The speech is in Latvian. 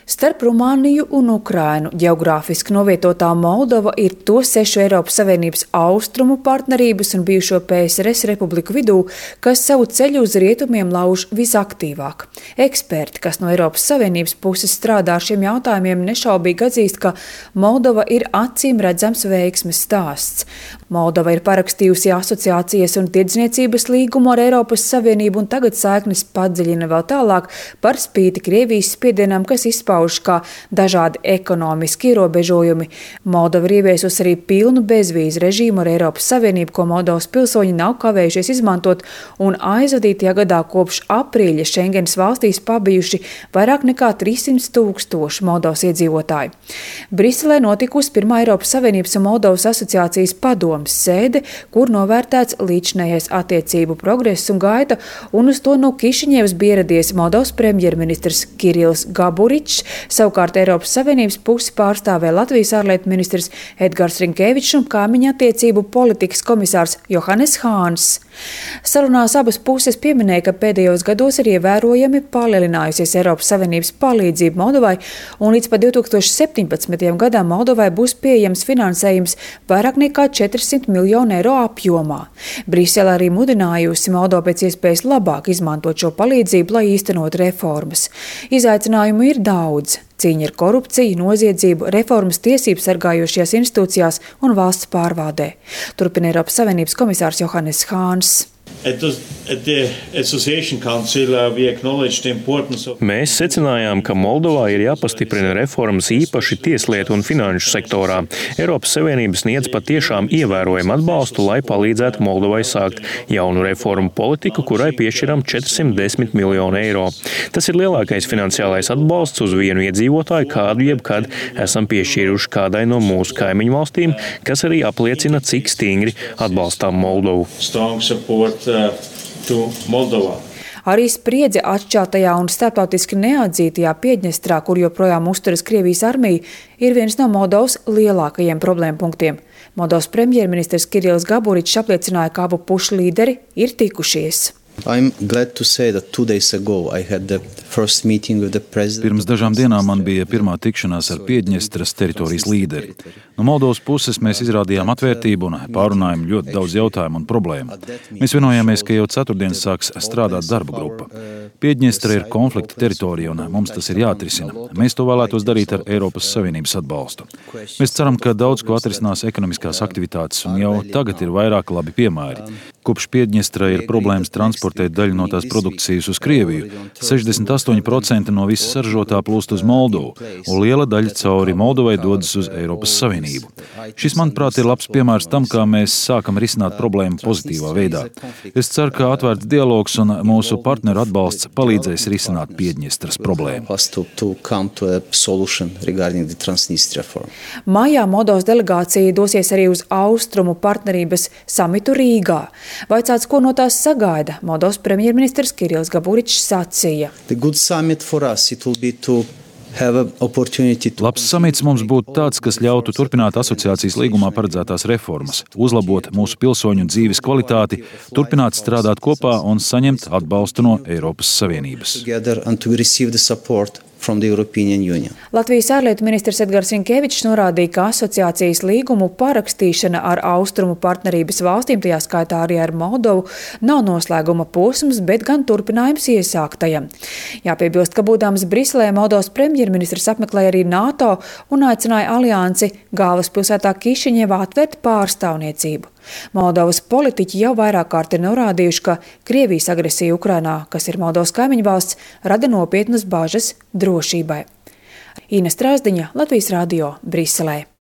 Starp Rumāniju un Ukrainu ģeogrāfiski novietotā Moldova ir to 6 Eiropas Savienības austrumu partnerības un bijušo PSRS republiku vidū, kas savu ceļu uz rietumiem lauž visaktīvāk. Eksperti, kas no Eiropas Savienības puses strādā ar šiem jautājumiem, nešaubīgi atzīst, ka Moldova ir acīm redzams veiksmes stāsts. Moldova ir parakstījusi asociācijas un tirdzniecības līgumu ar Eiropas Savienību un tagad saiknes padziļina vēl tālāk par spīti Krievijas spiedienam, kas izpaužas kā dažādi ekonomiski ierobežojumi. Moldova ir ieviesusi arī pilnu bezvīzu režīmu ar Eiropas Savienību, ko Moldovas pilsoņi nav kavējušies izmantot, un aizvadītajā gadā kopš aprīļa Schengenas valstīs pabijuši vairāk nekā 300 000 Moldovas iedzīvotāju. Briselē notikusi pirmā Eiropas Savienības un Moldovas asociācijas padomes sēde, kur novērtēts līdzinējais attiecību progress un gaita, un uz to no Kišiņevas bija ieradies Moldovas premjerministrs Kirillis Gaburičs, savukārt Eiropas Savienības pusi pārstāvēja Latvijas ārlietu ministrs Edgars Rinkēvičs un kaimiņu attiecību politikas komisārs Johannes Hāns. Sarunās abas puses pieminēja, ka pēdējos gados ir ievērojami palielinājusies Eiropas Savienības palīdzība Moldovai, un līdz pat 2017. gadam Moldovai būs pieejams finansējums vairāk nekā 400 miljonu eiro apjomā. Brisele arī mudinājusi Moldovu pēc iespējas labāk izmantot šo palīdzību, lai īstenot reformas. Izaicinājumu ir daudz. Cīņa ar korupciju, noziedzību, reformas tiesību sargājošajās institūcijās un valsts pārvaldē. Turpina Eiropas Savienības komisārs Johannes Hāns. Mēs secinājām, ka Moldovā ir jāpastiprina reformas īpaši tieslietu un finanšu sektorā. Eiropas Savienība sniedz patiešām ievērojumu atbalstu, lai palīdzētu Moldovai sākt jaunu reformu politiku, kurai piešķiram 410 miljonu eiro. Tas ir lielākais finansiālais atbalsts uz vienu iedzīvotāju, kādu jebkad esam piešķīruši kādai no mūsu kaimiņu valstīm, kas arī apliecina, cik stingri atbalstām Moldovu. Arī spriedze atšķeltajā un starptautiski neatzītajā Piedņestrā, kur joprojām uzturas Krievijas armija, ir viens no Moldovas lielākajiem problēmu punktiem. Moldovas premjerministrs Kirillis Gaburičs apliecināja, ka abu pušu līderi ir tikušies. Pirms dažām dienām man bija pirmā tikšanās ar Piedņestras teritorijas līderi. No Moldovas puses mēs izrādījām atvērtību un pārunājām ļoti daudz jautājumu un problēmu. Mēs vienojāmies, ka jau ceturtdien sāks strādāt darba grupa. Piedņestra ir konflikta teritorija un mums tas ir jāatrisina. Mēs to vēlētos darīt ar Eiropas Savienības atbalstu. Mēs ceram, ka daudz ko atrisinās ekonomiskās aktivitātes un jau tagad ir vairāk labi piemēri. Kopš Piedņestra ir problēmas transportēt daļu no tās produkcijas uz Krieviju, 68% no visas saražotā plūst uz Moldovu, un liela daļa cauri Moldovai dodas uz Eiropas Savienību. Šis, manuprāt, ir labs piemērs tam, kā mēs sākam risināt problēmu pozitīvā veidā. Es ceru, ka atvērts dialogs un mūsu partneru atbalsts palīdzēs risināt Piedņestras problēmu. Maijā Moldovas delegācija dosies arī uz austrumu partnerības samitu Rīgā. Vaicāts, ko no tās sagaida, Moldovas premjerministrs Kirillis Gaburičs sacīja. Labs samits mums būtu tāds, kas ļautu turpināt asociācijas līgumā paredzētās reformas, uzlabot mūsu pilsoņu dzīves kvalitāti, turpināt strādāt kopā un saņemt atbalstu no Eiropas Savienības. Latvijas ārlietu ministrs Edgars Rinkēvičs norādīja, ka asociācijas līgumu parakstīšana ar austrumu partnerības valstīm, tajā skaitā arī ar Moldovu, nav noslēguma posms, bet gan turpinājums iesāktajam. Jāpiebilst, ka būdams Briselē, Moldovas premjerministrs apmeklēja arī NATO un aicināja aliansi galvaspilsētā Kišiņevā atvērt pārstāvniecību. Moldovas politiķi jau vairāk kārt ir norādījuši, ka Krievijas agresija Ukrainā, kas ir Moldovas kaimiņu valsts, rada nopietnas bažas drošībai. Ina Strāzdiņa, Latvijas radio, Briselē.